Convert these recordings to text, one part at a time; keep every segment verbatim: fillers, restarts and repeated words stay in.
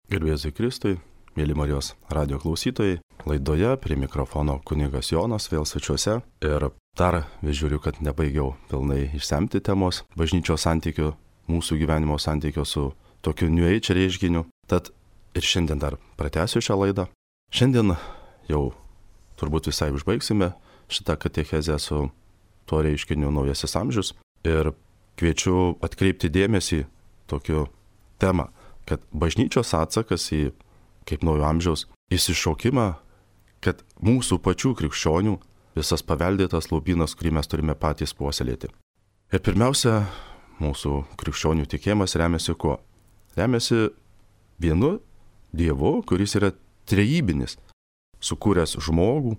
Garbėzui Kristui, mėly Marijos radio klausytojai, laidoje prie mikrofono kunigas Jonas vėl svečiuose ir dar vis žiūriu, kad nebaigiau pilnai išsemti temos bažnyčios santykių, mūsų gyvenimo santykių su tokiu New Age reiškiniu. Tad ir šiandien dar pratęsiu šią laidą. Šiandien jau turbūt visai užbaigsime šitą katechezę su tuo reiškiniu naujasis amžius ir kviečiu atkreipti dėmesį tokiu temą, kad bažnyčios atsakas į, kaip naujo amžiaus, įsišaukimą, kad mūsų pačių krikščionių visas paveldėtas lobynas, kurį mes turime patys puoselėti. Ir pirmiausia, mūsų krikščionių tikėjimas remiasi kuo? Remiasi vienu Dievu, kuris yra trejybinis, sukūręs žmogų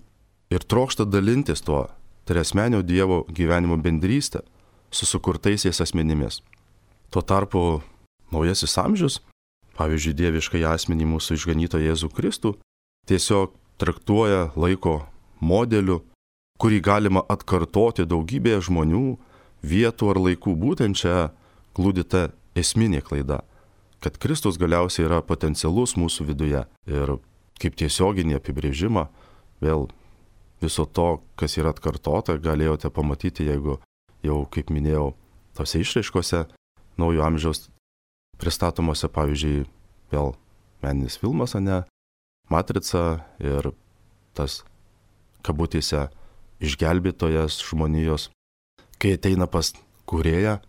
ir trokšta dalintis tuo triasmenio Dievo gyvenimo bendrystę su sukurtaisiais asmenimis. Tuo tarpu naujasis amžius, pavyzdžiui, dieviškai asmenį mūsų išganytoją Jėzų Kristų, tiesiog traktuoja laiko modeliu, kurį galima atkartoti daugybėje žmonių, vietų ar laikų. Būtent čia glūdi ta esminė klaida, kad Kristus galiausiai yra potencialus mūsų viduje ir kaip tiesioginį apibrėžimą vėl viso to, kas yra atkartota, galėjote pamatyti, jeigu jau, kaip minėjau, tose išraiškose naujo amžiaus pristatomose, pavyzdžiui, vėl meninis filmas, ane, Matrica ir tas kabutėse išgelbėtojas žmonijos, kai ateina pas kūrėją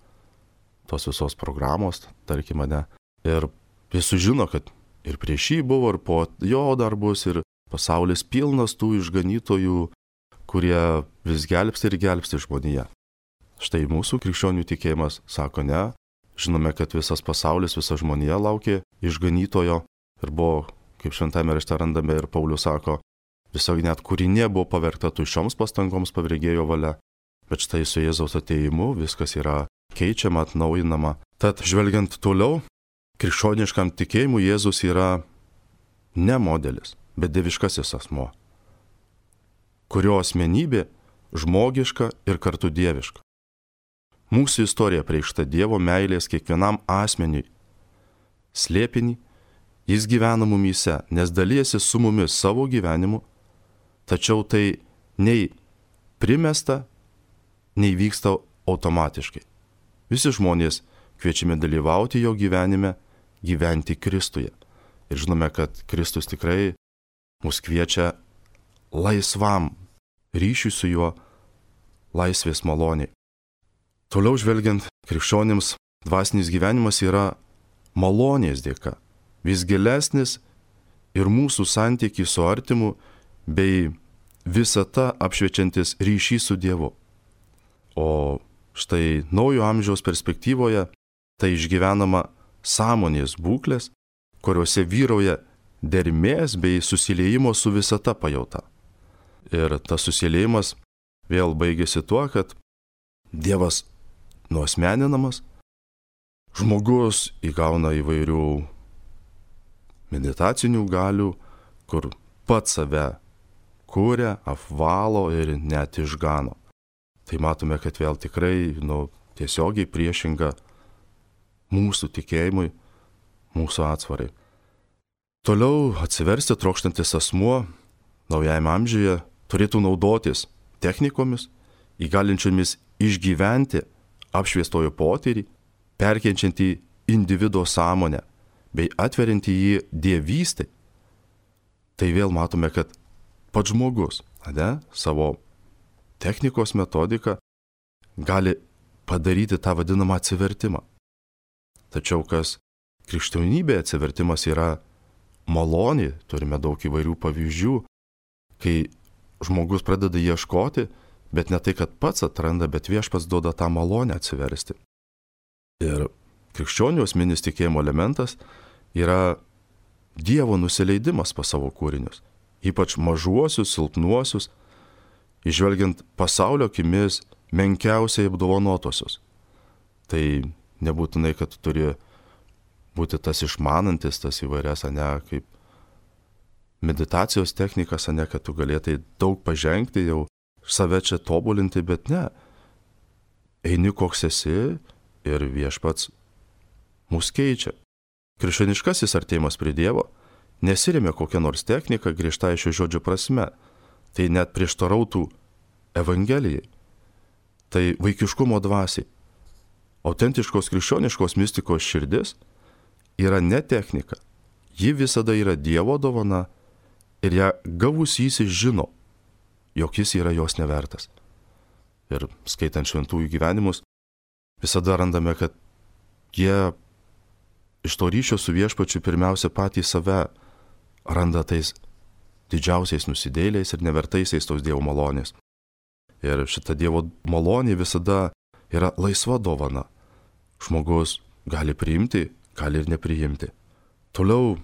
tos visos programos, tarkim, ane, ir jis sužino, kad ir prieš jį buvo, ir po jo dar bus, ir pasaulis pilnas tų išganytojų, kurie vis gelbsti ir gelbsti žmoniją. Štai mūsų krikščionių tikėjimas sako ne. Žinome, kad visas pasaulis, visa žmonija laukė išganytojo ir buvo, kaip šventame rašte randame ir Paulius sako, tiesiog net kūrinė buvo pavergta tuščioms pastangoms pavrėgėjo valia, bet štai su Jėzaus atėjimu viskas yra keičiama, atnaujinama. Tad žvelgiant toliau, krikščioniškam tikėjimui Jėzus yra ne modelis, bet dieviškasis asmuo, kurio asmenybė žmogiška ir kartu dieviška. Mūsų istorija preikšta Dievo meilės kiekvienam asmeniui slėpinį, jis gyvena mumyse, nes dalijasi su mumis savo gyvenimu, tačiau tai nei primesta, nei vyksta automatiškai. Visi žmonės kviečiami dalyvauti jo gyvenime, gyventi Kristuje. Ir žinome, kad Kristus tikrai mus kviečia laisvam ryšiui su juo, laisvės maloniai. Toliau žvelgiant, krikščionims dvasinis gyvenimas yra malonės dėka, vis gilesnis ir mūsų santykį su artimu bei visata apšviečiantis ryšys su Dievu. O štai naujo amžiaus perspektyvoje tai išgyvenama sąmonės būklės, kuriuose vyrauja dermės bei susiliejimo su visata pajauta. Ir tas susiliejimas vėl baigėsi tuo, kad Dievas nuasmeninamas, žmogus įgauna įvairių meditacinių galių, kur pats save kuria, apvalo ir net išgano. Tai matome, kad vėl tikrai nu, tiesiogiai priešinga mūsų tikėjimui, mūsų atsvarai. Toliau atsiversti trokštantis asmuo naujajame amžiuje turėtų naudotis technikomis, įgalinčiomis išgyventi apšviestojo potyrį, perkenčiantį individo sąmonę bei atveriantį jį dievystę. Tai vėl matome, kad pats žmogus, ne, savo technikos metodiką gali padaryti tą vadinamą atsivertimą. Tačiau kas krikščionybėje atsivertimas yra malonė, turime daug įvairių pavyzdžių, kai žmogus pradeda ieškoti, bet ne tai, kad pats atranda, bet viešpats duoda tą malonę atsiversti. Ir krikščionių asmeninis tikėjimo elementas yra Dievo nusileidimas pas savo kūrinius, ypač mažuosius, silpnuosius, išvelgiant pasaulio akimis menkiausiai apdovanotosius. Tai nebūtinai, kad turi būti tas išmanantis, tas įvairias, ane, kaip meditacijos technikas, ane, kad tu galėtai daug pažengti jau, save čia tobulinti, bet ne. Eini koks esi ir viešpats mus keičia. krikščioniškasis artėjimas prie Dievo nesiremia kokią nors techniką griežtai šio žodžio prasme. Tai net prieštarautų Evangelijai. Tai vaikiškumo dvasiai. Autentiškos krikščioniškos mistikos širdis yra ne technika. Ji visada yra Dievo dovana ir ją gavusysis žino, jog jis yra jos nevertas. Ir skaitant šventųjų gyvenimus, visada randame, kad jie iš to ryšio su viešpačiu pirmiausia patys save randa tais didžiausiais nusidėliais ir nevertaisiais tos Dievo malonės. Ir šita Dievo malonė visada yra laisva dovana. Žmogus gali priimti, gali ir nepriimti. Toliau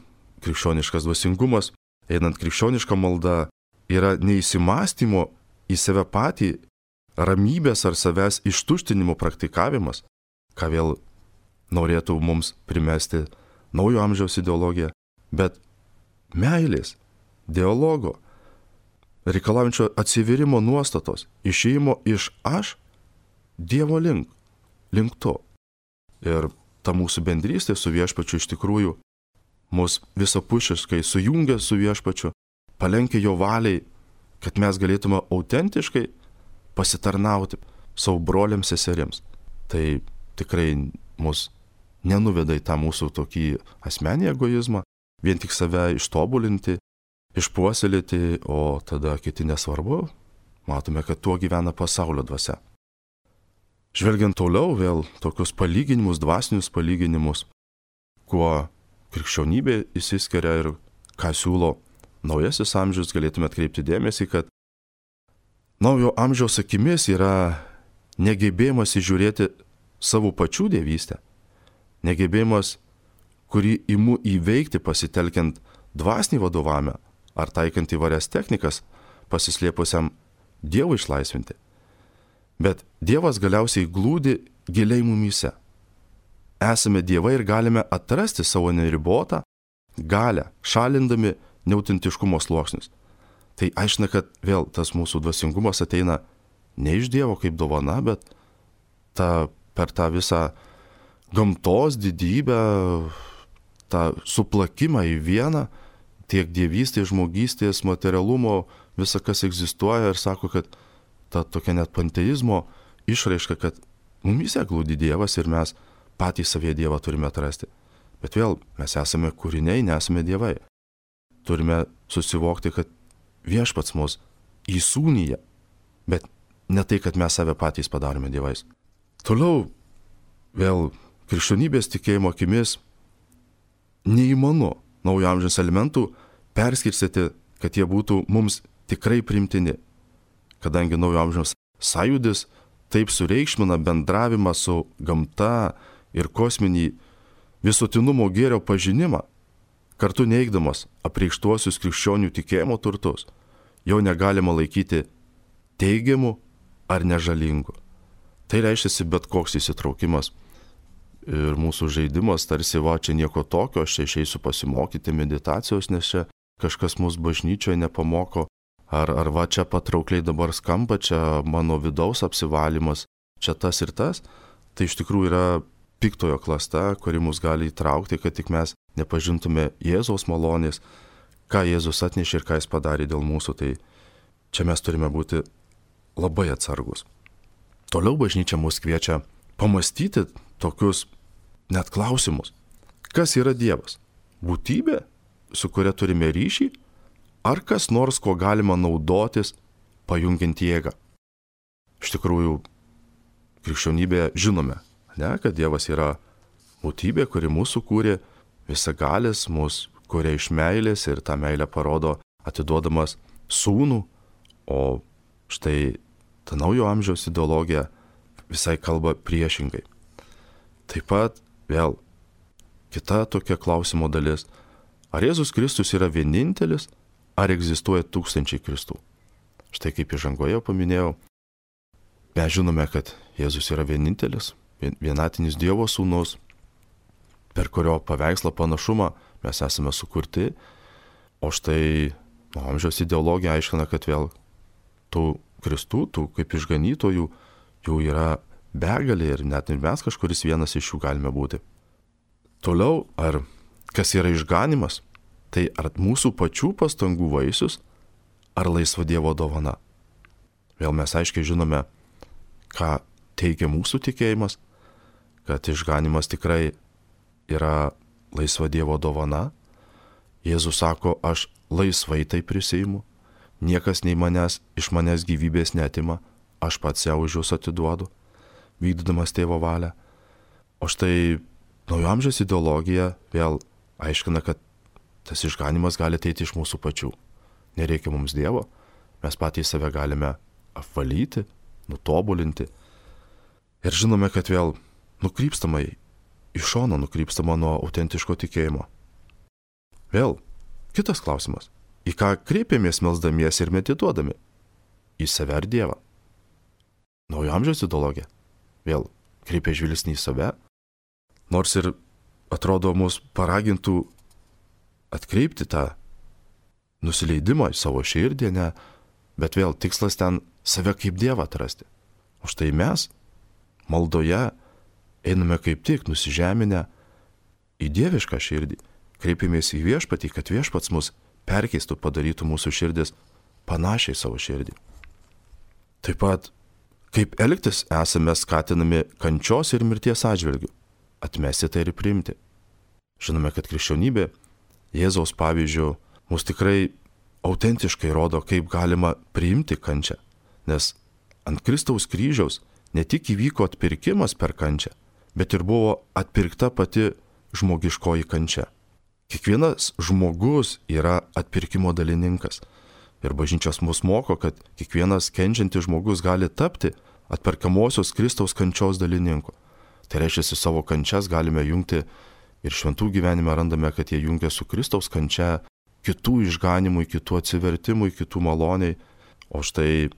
krikščioniškas dvasingumas, einant krikščionišką maldą, yra neįsimastymo į save patį, ramybės ar savęs ištuštinimo praktikavimas, ką vėl norėtų mums primesti naujo amžiaus ideologija, bet meilės, dialogo, reikalaujančio atsiverimo nuostatos, išėjimo iš aš Dievo link, link to. Ir ta mūsų bendrystė su viešpačiu iš tikrųjų mus visapusiškai sujungia su viešpačiu, palenkia jo valiai, kad mes galėtume autentiškai pasitarnauti savo broliams seserims. Tai tikrai mus nenuveda į tą mūsų tokį asmenį egoizmą, vien tik save ištobulinti, išpuoselėti, o tada kiti nesvarbu. Matome, kad tuo gyvena pasaulio dvasia. Žvelgiant toliau vėl tokius palyginimus, dvasinius palyginimus, kuo krikščionybė išsiskiria ir ką siūlo naujasis amžius, galėtume atkreipti dėmesį, kad naujo amžiaus akimis yra negebėjimas įžiūrėti savo pačių dievystę, negebėjimas, kurį imu įveikti pasitelkiant dvasinį vadovavimą ar taikant įvairias technikas pasislėpusiam Dievui išlaisvinti. Bet Dievas galiausiai glūdi giliai mumyse. Esame dievai ir galime atrasti savo neribotą galią, šalindami neautentiškumo sluoksnius. Tai aiškina, kad vėl tas mūsų dvasingumas ateina ne iš Dievo kaip dovana, bet ta, per tą visą gamtos didybę, tą suplakimą į vieną, tiek dievystės, žmogystės, materialumo, visa kas egzistuoja ir sako, kad ta tokia net panteizmo išraiška, kad mumyse glūdi Dievas ir mes patys savyje Dievą turime atrasti. Bet vėl, mes esame kūriniai, nesame dievai. Turime susivokti, kad viešpats mus įsūnyja, bet ne tai, kad mes save patys padarome dievais. Toliau, vėl, krikščionybės tikėjimo akimis neįmanu naujo amžiaus elementų perskirstyti, kad jie būtų mums tikrai primtini, kadangi naujo amžiaus sąjūdis taip sureikšmina bendravimą su gamta ir kosminį visuotinumo gėrio pažinimą, kartu neigdamas apreikštuosius krikščionių tikėjimo turtus, jo negalima laikyti teigiamu ar nežalingu. Tai reiškia bet koks įsitraukimas ir mūsų žaidimas, tarsi va, čia nieko tokio, aš čia išeisiu pasimokyti meditacijos, nes čia kažkas mus bažnyčioje nepamoko, ar, ar va, čia patraukliai dabar skamba, čia mano vidaus apsivalymas, čia tas ir tas. Tai iš tikrųjų yra piktojo klasta, kuri mus gali įtraukti, kad tik mes nepažintume Jėzaus malonės, ką Jėzus atnešė ir ką jis padarė dėl mūsų. Tai čia mes turime būti labai atsargus. Toliau bažnyčia mus kviečia pamastyti tokius net klausimus. Kas yra Dievas? Būtybė, su kuria turime ryšį, ar kas nors, ko galima naudotis, pajungiant jėgą? Iš tikrųjų, krikščionybėje žinome, ne, kad Dievas yra būtybė, kuri mūsų kūrė, visagalis, mus kūrė iš meilės ir tą meilę parodo atiduodamas sūnų, o štai ta naujo amžiaus ideologija visai kalba priešingai. Taip pat vėl kita tokia klausimo dalis. Ar Jėzus Kristus yra vienintelis, ar egzistuoja tūkstančiai Kristų? Štai kaip įžangoje paminėjau, mes žinome, kad Jėzus yra vienintelis, vienatinis Dievo sūnus, per kurio paveikslą panašumą mes esame sukurti, o štai nuo amžiaus ideologija aiškina, kad vėl tų Kristų, tų kaip išganytojų, jų yra begalė ir net ir mes kažkuris vienas iš jų galime būti. Toliau, ar kas yra išganimas, tai ar mūsų pačių pastangų vaisius, ar laisva Dievo dovana. Vėl mes aiškiai žinome, ką teigia mūsų tikėjimas, kad išganimas tikrai yra laisva Dievo dovana. Jėzus sako, aš laisvai tai prisiimu, niekas nei manęs, iš manęs gyvybės neatima, aš pats ją už jūs atiduodu, vykdydamas tėvo valią. O štai naujo amžiaus ideologija vėl aiškina, kad tas išganimas gali ateiti iš mūsų pačių. Nereikia mums Dievo, mes patys save galime apvalyti, nutobulinti. Ir žinome, kad vėl nukrypstama į šoną, nukrypstama nuo autentiško tikėjimo. Vėl kitas klausimas. Į ką kreipiamės melsdamiesi ir medituodami? Į save ar Dievą? Naujo amžiaus ideologija vėl kreipia žvilgsnį į save, nors ir atrodo mus paragintų atkreipti tą nusileidimą į savo širdį, ne, bet vėl tikslas ten save kaip Dievą atrasti. O štai mes maldoje einame kaip tik nusižeminę į dievišką širdį, kreipiamės į viešpatį, kad viešpats mus perkeistų, padarytų mūsų širdis panašiai savo širdį. Taip pat, kaip elgtis esame skatinami kančios ir mirties atžvilgių, atmesti tai ir priimti. Žinome, kad krikščionybė Jėzaus pavyzdžių mus tikrai autentiškai rodo, kaip galima priimti kančią, nes ant Kristaus kryžiaus ne tik įvyko atpirkimas per kančią, bet ir buvo atpirkta pati žmogiškoji kančia. Kiekvienas žmogus yra atpirkimo dalininkas. Ir bažnyčios mus moko, kad kiekvienas kenčiantis žmogus gali tapti atperkamosios Kristaus kančios dalininku. Tai reiškia, savo kančias galime jungti ir šventų gyvenime randame, kad jie jungia su Kristaus kančia kitų išganimui, kitų atsivertimui, kitų maloniai. O štai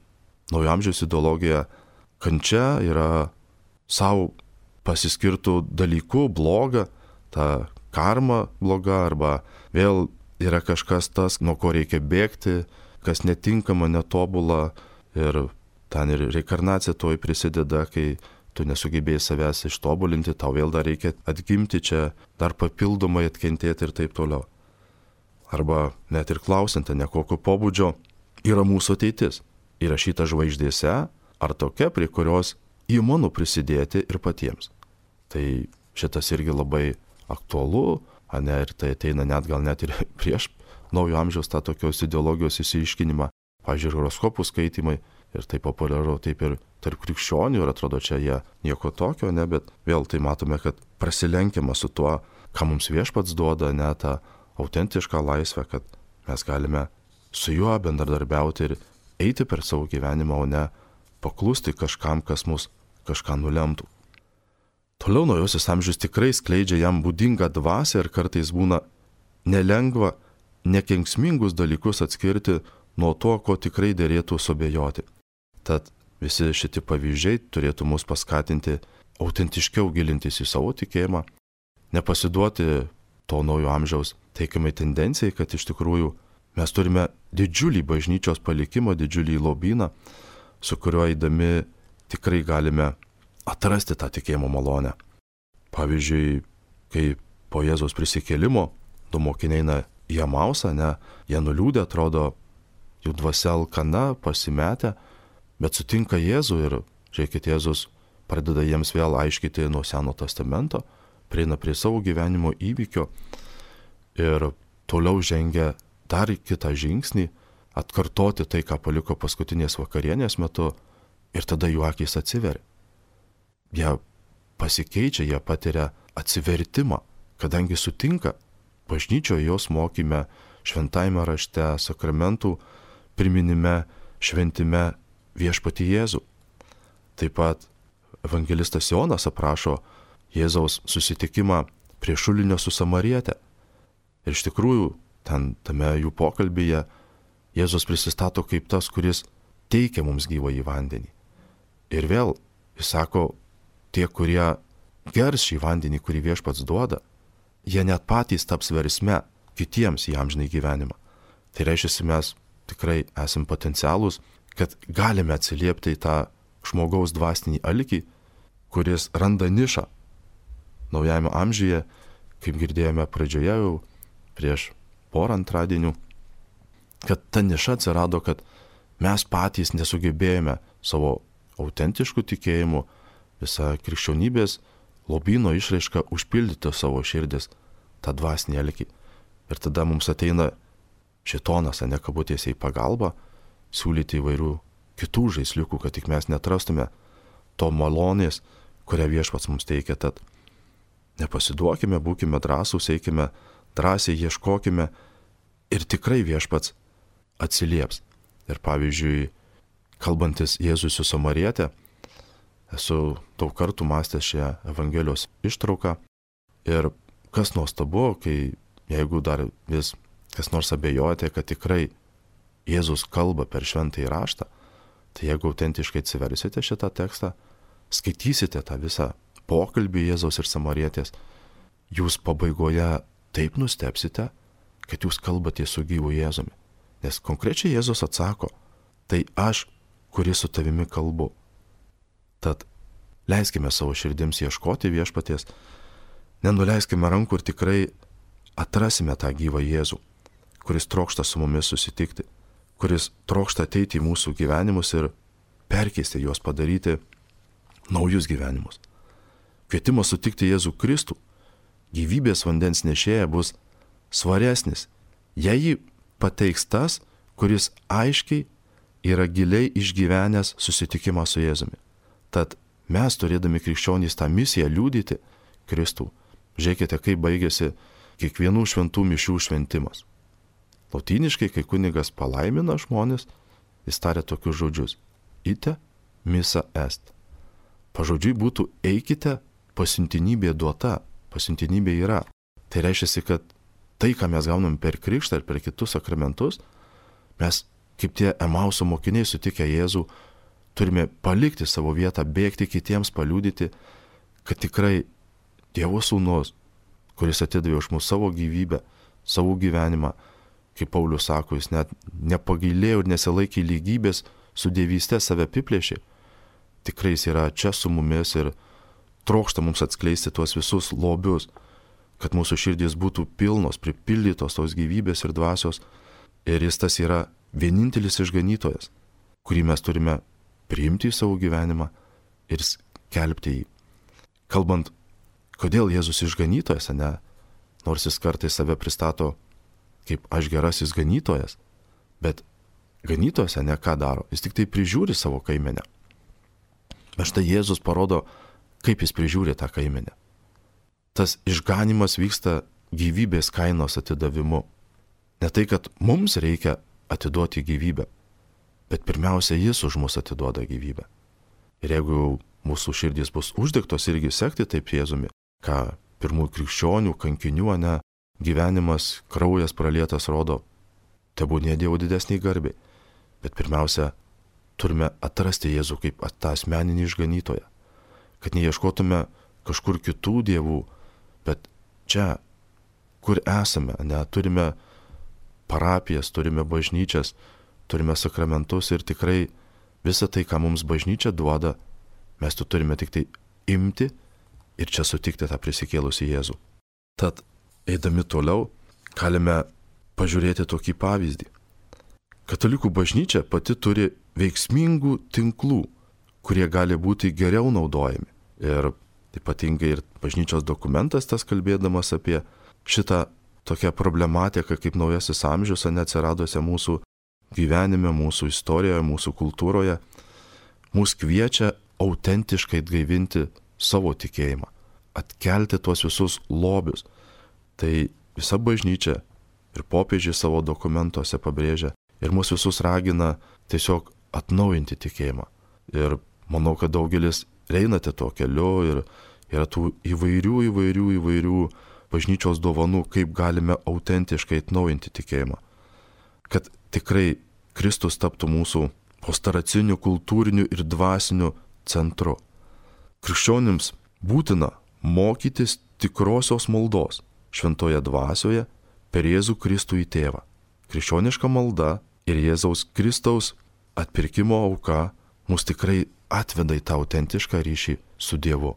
naujo amžiaus ideologija kančia yra savo pasiskirtų dalykų bloga, ta karma bloga, arba vėl yra kažkas tas, nuo ko reikia bėgti, kas netinkama, netobula, ir ten ir reinkarnacija toj prisideda, kai tu nesugebėjai savęs ištobulinti, tau vėl dar reikia atgimti čia, dar papildomai atkentėti ir taip toliau. Arba net ir klausiant, ne kokio pobūdžio yra mūsų ateitis, įrašyta žvaigždėse, ar tokia, prie kurios įmanu prisidėti ir patiems. Tai šitas irgi labai aktualu, ne, ir tai ateina net gal net ir prieš naujo amžiaus tą tokios ideologijos įsiaiškinimą, pavyzdžiui, horoskopų skaitimai, ir tai populiaru taip ir tarp krikščionių, ir atrodo čia jie nieko tokio, ne, bet vėl tai matome, kad prasilenkiama su tuo, ką mums viešpats duoda, ne, tą autentišką laisvę, kad mes galime su juo bendradarbiauti ir eiti per savo gyvenimą, o ne paklusti kažkam, kas mus kažką nulemtų. Toliau naujasis amžius tikrai skleidžia jam būdingą dvasią ir kartais būna nelengva nekenksmingus dalykus atskirti nuo to, ko tikrai derėtų suabejoti. Tad visi šitie pavyzdžiai turėtų mus paskatinti autentiškiau gilintis į savo tikėjimą, nepasiduoti to naujo amžiaus teikiamai tendencijai, kad iš tikrųjų mes turime didžiulį bažnyčios palikimą, didžiulį lobyną, su kuriuo eidami tikrai galime atrasti tą tikėjimo malonę. Pavyzdžiui, kai po Jėzaus prisikėlimo du mokiniai eina į Emausą, ne, jie nuliūdę, atrodo, jų dvasia alkana, pasimetę, bet sutinka Jėzų ir, žiūrėkit, Jėzus pradeda jiems vėl aiškyti nuo Seno testamento, prieina prie savo gyvenimo įvykio ir toliau žengia dar kitą žingsnį, atkartoti tai, ką paliko paskutinės vakarienės metu, ir tada jų akys atsiveria. Jie pasikeičia, jie patiria atsivertimą, kadangi sutinka bažnyčioje jos mokyme, šventajame rašte, sakramentų priminime, šventime viešpatį Jėzų. Taip pat evangelistas Jonas aprašo Jėzaus susitikimą prie šulinio su Samariete. Ir iš tikrųjų, ten tame jų pokalbyje Jėzus prisistato kaip tas, kuris teikia mums gyvąjį vandenį. Ir vėl jis sako, tie, kurie gers šį vandenį, kurį viešpats duoda, jie net patys taps versme kitiems į amžinąjį gyvenimą. Tai reiškia, mes tikrai esame potencialūs, kad galime atsiliepti į tą žmogaus dvasinį alkį, kuris randa nišą naujajame amžiuje kaip girdėjome pradžioje jau prieš porą antradienių, kad ta niša atsirado, kad mes patys nesugebėjome savo autentiškų tikėjimų, visą krikščionybės lobyno išraišką užpildyti savo širdis, tą dvasinį alkį. Ir tada mums ateina šėtonas, ne kabutėse į pagalbą, siūlyti įvairių kitų žaisliukų, kad tik mes netrastume to malonės, kurią viešpats mums teikia. Tad nepasiduokime, būkime drąsūs, eikime drąsiai, ieškokime ir tikrai viešpats atsilieps. Ir pavyzdžiui, kalbantis Jėzui su Samariete, esu daug kartų mąstęs šią Evangelijos ištrauką ir kas nuostabu, kai jeigu dar vis kas nors abejojate, kad tikrai Jėzus kalba per šventąjį raštą, tai jeigu autentiškai atsiversite šitą tekstą, skaitysite tą visą pokalbį Jėzaus ir Samarietės, jūs pabaigoje taip nustebsite, kad jūs kalbate su gyvu Jėzumi. Nes konkrečiai Jėzus atsako, tai aš, kuris su tavimi kalbu. Tad leiskime savo širdims ieškoti viešpaties, nenuleiskime rankų ir tikrai atrasime tą gyvą Jėzų, kuris trokšta su mumis susitikti, kuris trokšta ateiti į mūsų gyvenimus ir perkeisti juos, padaryti naujus gyvenimus. Kvietimas sutikti Jėzų Kristų, gyvybės vandens nešėja, bus svaresnis, jei jį pateiks tas, kuris aiškiai yra giliai išgyvenęs susitikimą su Jėzumi. Tad mes, turėdami krikščionys tą misiją liudyti Kristų, žiūrėkite, kaip baigėsi kiekvienų šventų mišių šventimas. Lotyniškai, kai kunigas palaimina žmonės, jis taria tokius žodžius: ite missa est. Pažodžiui būtų eikite, pasiuntinybė duota, pasiuntinybė yra. Tai reiškia, kad tai, ką mes gaunam per krikštą ir per kitus sakramentus, mes, kaip tie Emauso mokiniai sutikę Jėzų, turime palikti savo vietą, bėgti kitiems, paliudyti, kad tikrai Dievo sūnus, kuris atidavė už mus savo gyvybę, savo gyvenimą, kaip Paulius sako, jis net nepagailėjo ir nesilaikė lygybės su dievyste, save apiplėšė. Tikrai jis yra čia su mumis ir trokšta mums atskleisti tuos visus lobius, kad mūsų širdys būtų pilnos, pripildytos tos gyvybės ir dvasios. Ir jis tas yra vienintelis išganytojas, kurį mes turime priimti į savo gyvenimą ir skelbti jį. Kalbant, kodėl Jėzus išganytojas, ne? Nors jis kartais save pristato kaip aš gerasis ganytojas, bet ganytojas, ne, ką daro? Jis tik tai prižiūri savo kaimenę. Bet štai Jėzus parodo, kaip jis prižiūri tą kaimenę. Tas išganimas vyksta gyvybės kainos atidavimu. Ne tai, kad mums reikia atiduoti gyvybę, bet pirmiausia, jis už mus atiduoda gyvybę. Ir jeigu mūsų širdys bus uždegtos irgi sekti taip Jėzumi, ką pirmųjų krikščionių, kankinių, ne, gyvenimas, kraujas pralietas rodo, tebūnie Dievo didesniai garbei. Bet pirmiausia, turime atrasti Jėzų kaip tą asmeninį išganytoją, kad neieškotume kažkur kitų dievų, bet čia, kur esame, ne, turime parapijas, turime bažnyčias, turime sakramentus ir tikrai visą tai, ką mums bažnyčia duoda, mes tu turime tik tai imti ir čia sutikti tą prisikėlusį Jėzų. Tad, eidami toliau, galime pažiūrėti tokį pavyzdį. Katalikų bažnyčia pati turi veiksmingų tinklų, kurie gali būti geriau naudojami. Ir ypatingai ir bažnyčios dokumentas tas kalbėdamas apie šitą tokią problematiką kaip naujasis amžius, neatsiradusią mūsų gyvenime, mūsų istorijoje, mūsų kultūroje, mus kviečia autentiškai atgaivinti savo tikėjimą, atkelti tuos visus lobius. Tai visa bažnyčia ir popiežiai savo dokumentuose pabrėžia ir mus visus ragina tiesiog atnaujinti tikėjimą. Ir manau, kad daugelis einate tuo keliu ir yra tų įvairių, įvairių, įvairių bažnyčios dovanų, kaip galime autentiškai atnaujinti tikėjimą. Kad tikrai Kristus taptų mūsų pastaraciniu, kultūriniu ir dvasiniu centru. Krikščionims būtina mokytis tikrosios maldos šventoje dvasioje per Jėzų Kristų į Tėvą. Krikščioniška malda ir Jėzaus Kristaus atpirkimo auka mus tikrai atveda į tą autentišką ryšį su Dievu.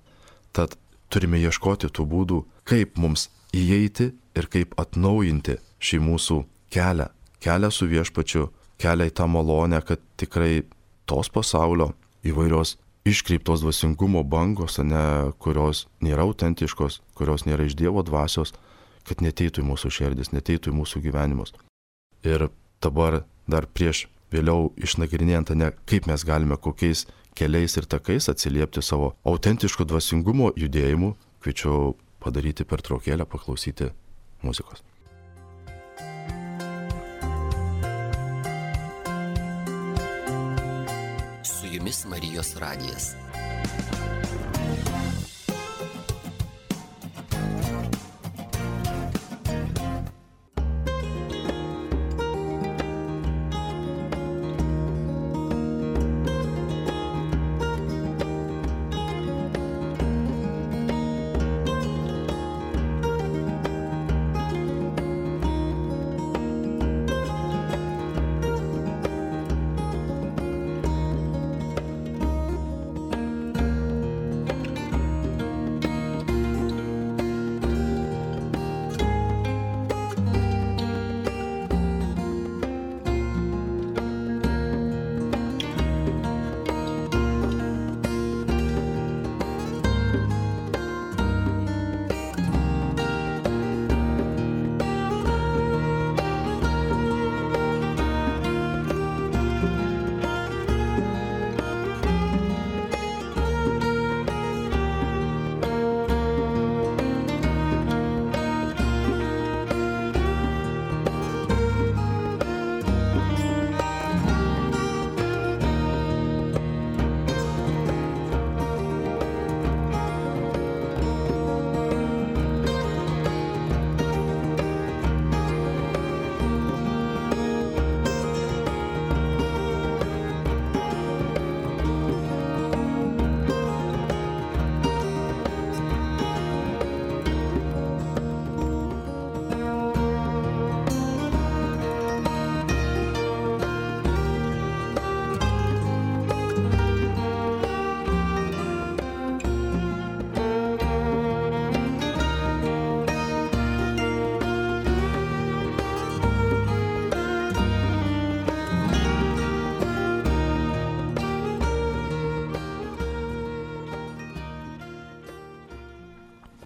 Tad turime ieškoti tų būdų, kaip mums įeiti ir kaip atnaujinti šį mūsų kelią, kelią su viešpačiu, kelią į tą malonę, kad tikrai tos pasaulio įvairios iškreiptos dvasingumo bangos, ne, kurios nėra autentiškos, kurios nėra iš Dievo dvasios, kad neteitų į mūsų širdis, neteitų į mūsų gyvenimus. Ir dabar dar prieš vėliau išnagrinėjant, ne, kaip mes galime kokiais keliais ir takais atsiliepti savo autentiško dvasingumo judėjimu, kviečiu padaryti pertraukėlę, paklausyti muzikos. Su jumis Marijos radijas.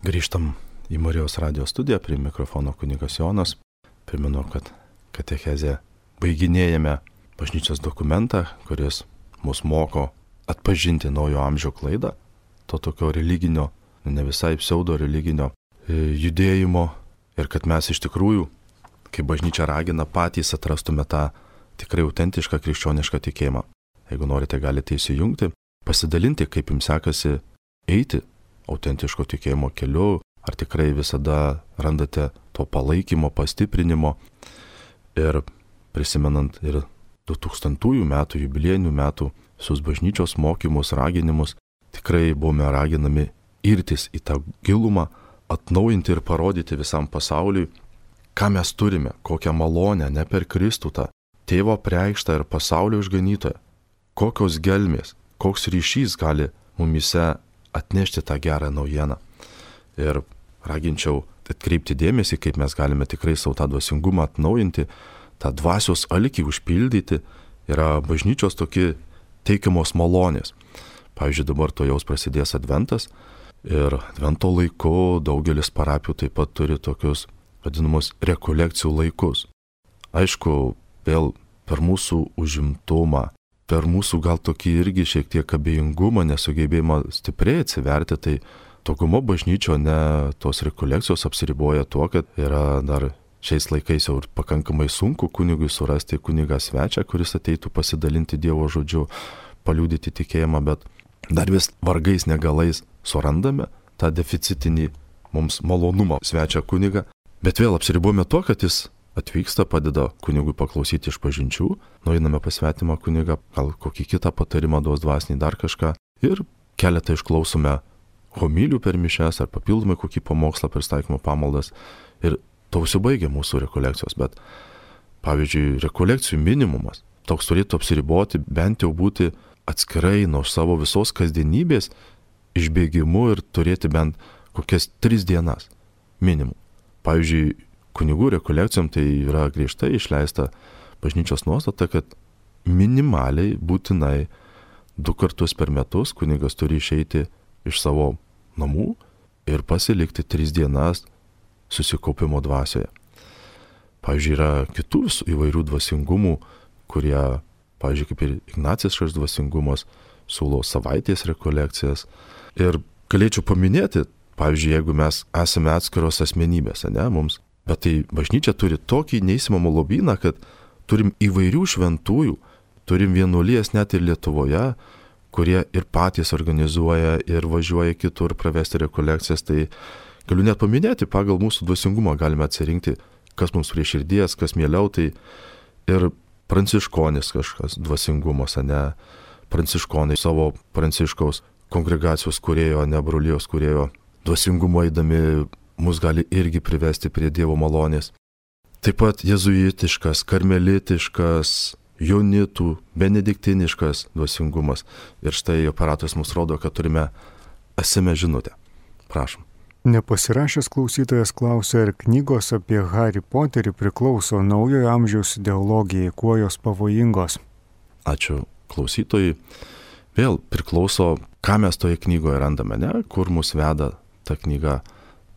Grįžtam į Marijos radijo studiją, prie mikrofono kunigas Jonas. Primenu, kad katechezė baiginėjame bažnyčios dokumentą, kuris mus moko atpažinti naujo amžiaus klaidą, to tokio religinio, ne visai pseudo religinio judėjimo ir kad mes iš tikrųjų, kaip bažnyčia ragina, patys atrastume tą tikrai autentišką krikščionišką tikėjimą. Jeigu norite, galite įsijungti, pasidalinti, kaip jums sekasi eiti autentiško tikėjimo keliu, ar tikrai visada randate to palaikymo, pastiprinimo. Ir prisimenant ir du tūkstantųjų metų, jubiliejinių metų, visus bažnyčios mokymus, raginimus, tikrai buvome raginami irtis į tą gilumą, atnaujinti ir parodyti visam pasauliui, ką mes turime, kokią malonę, ne per Kristų tą tėvo preikštą ir pasaulio išganytoją, kokios gelmės, koks ryšys gali mumise atnešti tą gerą naujieną. Ir raginčiau atkreipti dėmesį, kaip mes galime tikrai savo tą dvasingumą atnaujinti, tą dvasios alkį užpildyti, yra bažnyčios tokie teikiamos malonės. Pavyzdžiui, dabar to jaus prasidės adventas ir advento laiku daugelis parapijų taip pat turi tokius vadinamus rekolekcijų laikus. Aišku, vėl per mūsų užimtumą, per mūsų gal tokį irgi šiek tiek abejingumą, nesugebėjimą stipriai atsiverti, tai dauguma bažnyčio ne tos rekolekcijos apsiriboja tuo, kad yra dar šiais laikais jau pakankamai sunku kunigui surasti kunigą svečią, kuris ateitų pasidalinti Dievo žodžiu, paliudyti tikėjimą, bet dar vis vargais negalais surandame tą deficitinį mums malonumą svečią kunigą. Bet vėl apsiribuojame tuo, kad jis atvyksta, padeda kunigui paklausyti išpažinčių, nueiname pas svetimą kunigą, gal kokį kitą patarimą duos dvasinį, dar kažką, ir keletą išklausome homilijų per mišias ar papildomai kokį pamokslą per staikymo pamaldas, ir to užsibaigia mūsų rekolekcijos. Bet pavyzdžiui, rekolekcijų minimumas toks turėtų apsiriboti, bent jau būti atskirai nuo savo visos kasdienybės išbėgimu ir turėti bent kokias tris dienas minimum. pavyzdžiui, kunigų rekolekcijom tai yra griežtai išleista bažnyčios nuostata, kad minimaliai būtinai du kartus per metus kunigas turi išeiti iš savo namų ir pasilikti tris dienas susikaupimo dvasioje. Pavyzdžiui, yra kitų įvairių dvasingumų, kurie, pavyzdžiui, kaip ir ignaciškas dvasingumas, siūlo savaitės rekolekcijas. Ir galėčiau paminėti, pavyzdžiui, jeigu mes esame atskiros asmenybės, ne, mums, bet tai bažnyčia turi tokį neįsimamą lobyną, kad turim įvairių šventųjų, turim vienuolijas net ir Lietuvoje, kurie ir patys organizuoja ir važiuoja kitur pravesti rekolekcijas. Tai galiu net paminėti, pagal mūsų dvasingumą galime atsirinkti, kas mums prie širdies, kas mieliau. Tai ir pranciškonis kažkas dvasingumas, ne, pranciškonai savo pranciškaus kongregacijos kūrėjo, ne brolijos kūrėjo dvasingumo eidami mus gali irgi privesti prie Dievo malonės. Taip pat jezuitiškas, karmelitiškas, jonitų, benediktiniškas dvasingumas. Ir štai aparatas mums rodo, kad turime es em es žinutę. Prašom. Nepasirašęs klausytojas klausia, ar knygos apie Harry Potterį priklauso naujojo amžiaus ideologijai, kuo jos pavojingos? Ačiū klausytojai. Vėl priklauso, ką mes toje knygoje randame, ne? Kur mus veda ta knyga.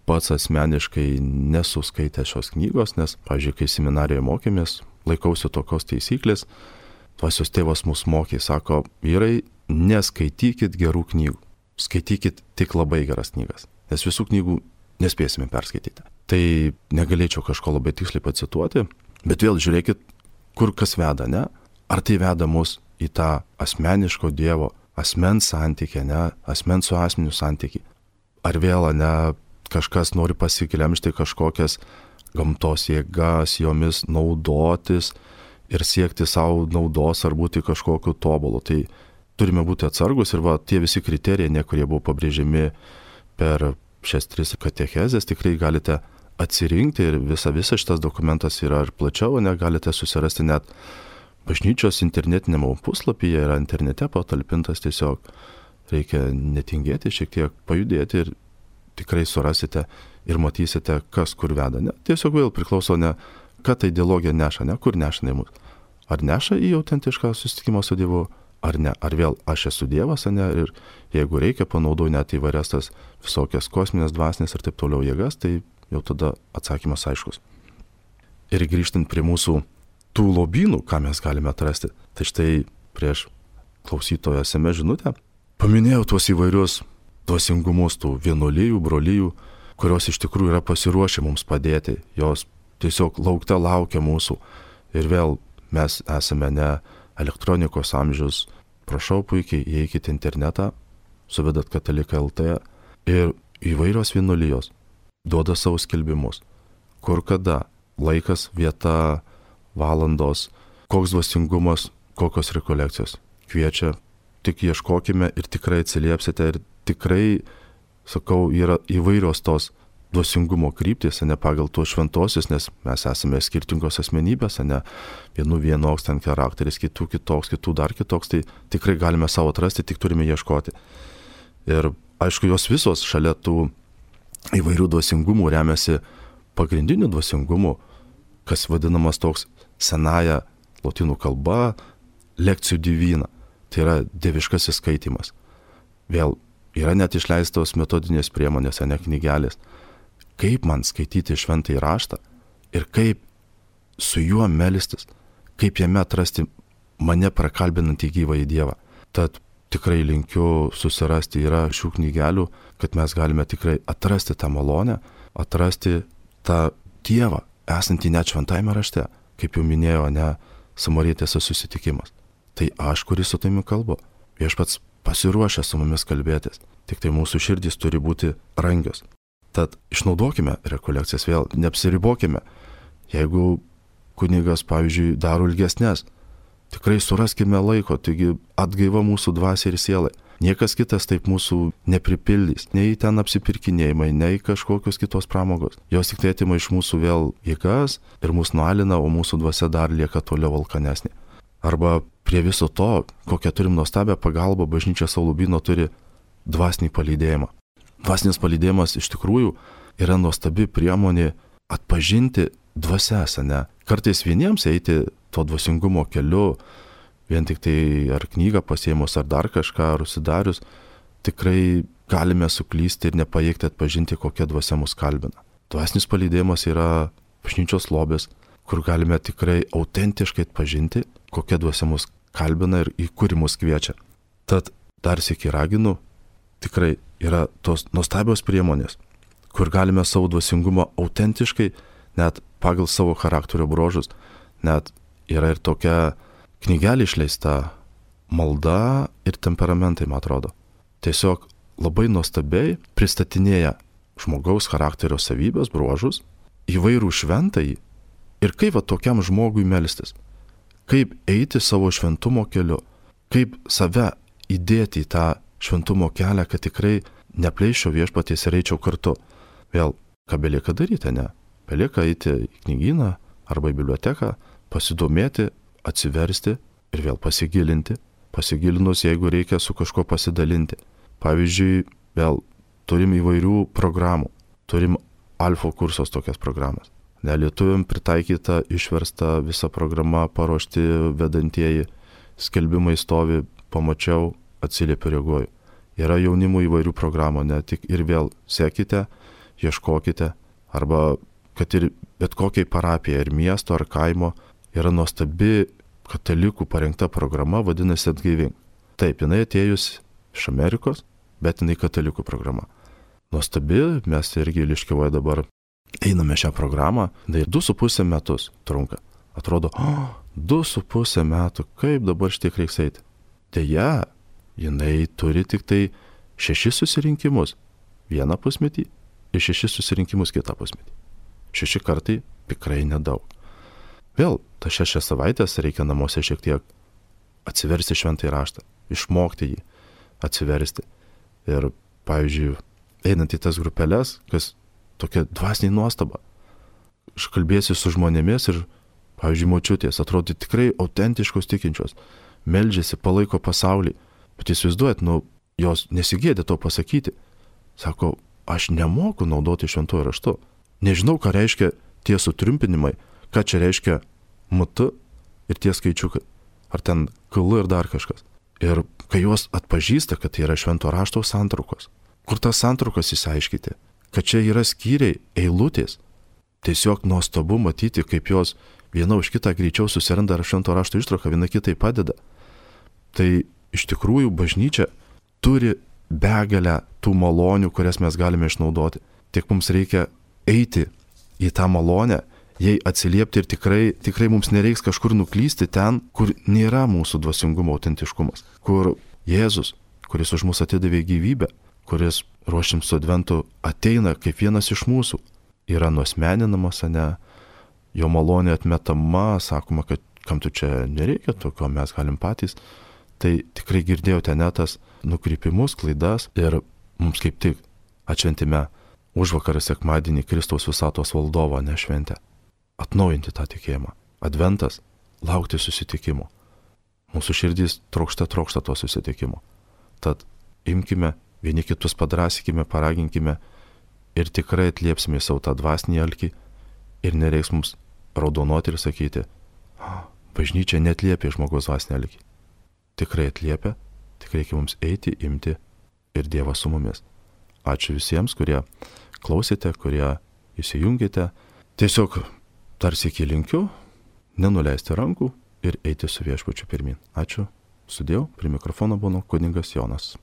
Pats asmeniškai nesuskaitė šios knygos, nes, pavyzdžiui, kai seminarijoje mokėmės, laikausi tokios taisyklės, dvasios tėvas mus mokė, sako, vyrai, neskaitykit gerų knygų, skaitykit tik labai geras knygas, nes visų knygų nespėsime perskaityti. Tai negalėčiau kažko labai tiksliai pacituoti, bet vėl žiūrėkit, kur kas veda, ne? Ar tai veda mus į tą asmeniško Dievo, asmens santykį, ne? Asmens su asmeniu santykį. Ar vėl, ne, kažkas nori pasiklemšti kažkokias gamtos jėgas, jomis naudotis ir siekti savo naudos ar būti kažkokiu tobulu. Tai turime būti atsargus ir va, tie visi kriterijai, ne, kurie buvo pabrėžiami per šias tris katechezės, tikrai galite atsirinkti ir visa, visa šitas dokumentas yra ir plačiau, ne, galite susirasti net bažnyčios internetinėme puslapyje, yra internete patalpintas, tiesiog reikia netingėti, šiek tiek pajudėti ir tikrai surasite ir matysite, kas kur veda. Ne? Tiesiog vėl priklauso, ne, ką ta ideologija neša, ne, kur neša mus. Ar neša į autentišką susitikimą su Dievu, ar ne. Ar vėl aš esu Dievas, ne, ir jeigu reikia, panaudoju net įvairias tas visokias kosminės, dvasinės ir taip toliau jėgas, tai jau tada atsakymas aiškus. Ir grįžtant prie mūsų tų lobynų, ką mes galime atrasti, tai štai prieš klausytojo es em es žinutę paminėjau tuos įvairius dvasingumus, tų vienuolijų, brolijų, kurios iš tikrųjų yra pasiruošę mums padėti, jos tiesiog laukte laukia mūsų. Ir vėl mes esame ne elektronikos amžius, prašau puikiai, įeikite internetą, suvedat katalikai taškas el tė ir įvairios vienuolijos duoda savo skelbimus, kur kada, laikas, vieta, valandos, koks dvasingumas, kokios rekolekcijos. Kviečia, tik ieškokime ir tikrai atsiliepsite ir tikrai, sakau, yra įvairios tos dvasingumo kryptys, ne pagal tuos šventosius, nes mes esame skirtingos asmenybės, ne vienų vienoks ten charakteris, kitų kitoks, kitų dar kitoks, tai tikrai galime savo atrasti, tik turime ieškoti. Ir aišku, jos visos šalia tų įvairių dvasingumų remiasi pagrindiniu dvasingumu, kas vadinamas toks senaja lotynų kalba lekcijų divina, tai yra dieviškasis skaitymas. Vėl yra net išleistos metodinės priemonės, ne knygelės. Kaip man skaityti šventąjį raštą ir kaip su juo melstis, kaip jame atrasti mane prakalbinantį gyvąjį Dievą. Tad tikrai linkiu susirasti yra šių knygelių, kad mes galime tikrai atrasti tą malonę, atrasti tą Dievą, esantį net šventajame rašte, kaip jau minėjo, ne samarietės susitikimas. Tai aš, kuris su tavimi kalbu, viešpats pasiruošę su mumis kalbėtis, tik tai mūsų širdys turi būti rangios. Tad išnaudokime rekolekcijas vėl, neapsiribokime. Jeigu kunigas, pavyzdžiui, daro ilgesnės, tikrai suraskime laiko, taigi atgaiva mūsų dvasiai ir sielai. Niekas kitas taip mūsų nepripildys, nei ten apsipirkinėjimai, nei kažkokios kitos pramogos. Jos tik tai atima iš mūsų vėl jėgas ir mūsų nualina, o mūsų dvasia dar lieka toliau alkanesnė. Arba prie viso to, kokią turim nuostabią pagalbą, bažnyčia savo lobyno turi dvasinį palydėjimą. Dvasinis palydėjimas iš tikrųjų yra nuostabi priemonė atpažinti dvasias, ne? Kartais vieniems eiti to dvasingumo keliu, vien tik tai ar knygą pasiėmus, ar dar kažką, ar užsidarius, tikrai galime suklysti ir nepajėgti atpažinti, kokia dvasia mus kalbina. Dvasinis palydėjimas yra bažnyčios lobis, kur galime tikrai autentiškai atpažinti, kokia dvasia mus kalbina ir į kurį mus kviečia. Tad dar sykį raginu, tikrai yra tos nuostabios priemonės, kur galime savo dvasingumą autentiškai, net pagal savo charakterio bruožus, net yra ir tokia knygelė išleista malda ir temperamentai, man atrodo. Tiesiog labai nuostabiai pristatinėja žmogaus charakterio savybės, bruožus, įvairų šventąjį ir kaip va tokiam žmogui melstis, kaip eiti savo šventumo keliu, kaip save įdėti į tą šventumo kelią, kad tikrai nepleiščiau viešpaties ir eičiau kartu. Vėl, ką belieka daryti, ne? Belieka eiti į knygyną arba į biblioteką, pasidomėti, atsiversti ir vėl pasigilinti. Pasigilinus, jeigu reikia su kažko pasidalinti. Pavyzdžiui, vėl turim įvairių programų. Turim alfa kursos tokias programas. Nelietuviam pritaikyta, išversta visa programa, paruošti vedantieji, skelbimai stovi, pamačiau, atsiliepiu, reaguoju. Yra jaunimo įvairių programų, ne tik ir vėl sekite, ieškokite, arba kad ir bet kokiai parapijai, ir miesto, ar kaimo, yra nuostabi katalikų parengta programa, vadinasi Atgaivink. Taip, jinai atėjus iš Amerikos, bet jinai katalikų programa. Nuostabi, mes irgi Liškiavoje dabar einame šią programą, tai du su pusė metus trunka. Atrodo, oh, du su pusė metų, kaip dabar šitiek reiks eiti. Deja, jinai turi tik tai šešis susirinkimus vieną pusmetį ir šešis susirinkimus kitą pusmetį. Šeši kartai tikrai nedaug. Vėl, tas šešias savaitės reikia namuose šiek tiek atsiversti šventąjį raštą, išmokti jį, atsiversti. Ir, pavyzdžiui, einant į tas grupelės, kas tokia dvasinė nuostaba. Aš kalbėsiu su žmonėmis ir, pavyzdžiui, močiutės, atrodo tikrai autentiškos tikinčios, meldžiasi, palaiko pasaulį. Bet įsivaizduojat, nu, jos nesigėdė to pasakyti. Sako, aš nemoku naudoti šventuoju raštu. Nežinau, ką reiškia tie sutrumpinimai, ką čia reiškia M T ir tie skaičiukai. Ar ten K L ir dar kažkas. Ir kai jos atpažįsta, kad tai yra švento rašto santraukos, kur tas santraukas įsiaiškyti, kad čia yra skyriai, eilutės, tiesiog nuostabu matyti, kaip jos viena už kitą greičiau susiranda švento rašto ištrauką, viena kitai padeda. Tai iš tikrųjų bažnyčia turi begalę tų malonių, kurias mes galime išnaudoti. Tik mums reikia eiti į tą malonę, jai atsiliepti ir tikrai, tikrai mums nereiks kažkur nuklysti ten, kur nėra mūsų dvasingumo autentiškumas. Kur Jėzus, kuris už mus atidavė gyvybę, kuris ruošim su adventu ateina kaip vienas iš mūsų, yra nuosmeninamas, ne, jo malonė atmetama, sakoma, kad kam tu čia nereikia tokio, mes galim patys. Tai tikrai girdėjote net tas nukrypimus, klaidas ir mums kaip tik atšventime užvakarą sekmadienį Kristaus visatos valdovo nešventę. Atnaujinti tą tikėjimą. Adventas, laukti susitikimo. Mūsų širdys trokšta, trokšta to susitikimo. Tad imkime, vieni kitus padrasykime, paraginkime ir tikrai atliepsime savo tą dvasinį alkį ir nereiks mums raudonuoti ir sakyti, bažnyčia netliepia žmogaus dvasinį alkį. Tikrai atliepia, tik reikia mums eiti, imti ir Dievas su mumis. Ačiū visiems, kurie klausėte, kurie įsijungėte. Tiesiog tarsi iki linkiu, nenuleisti rankų ir eiti su viešpačiu pirmin. Ačiū, sudėjau, prie mikrofono buvo kunigas Jonas.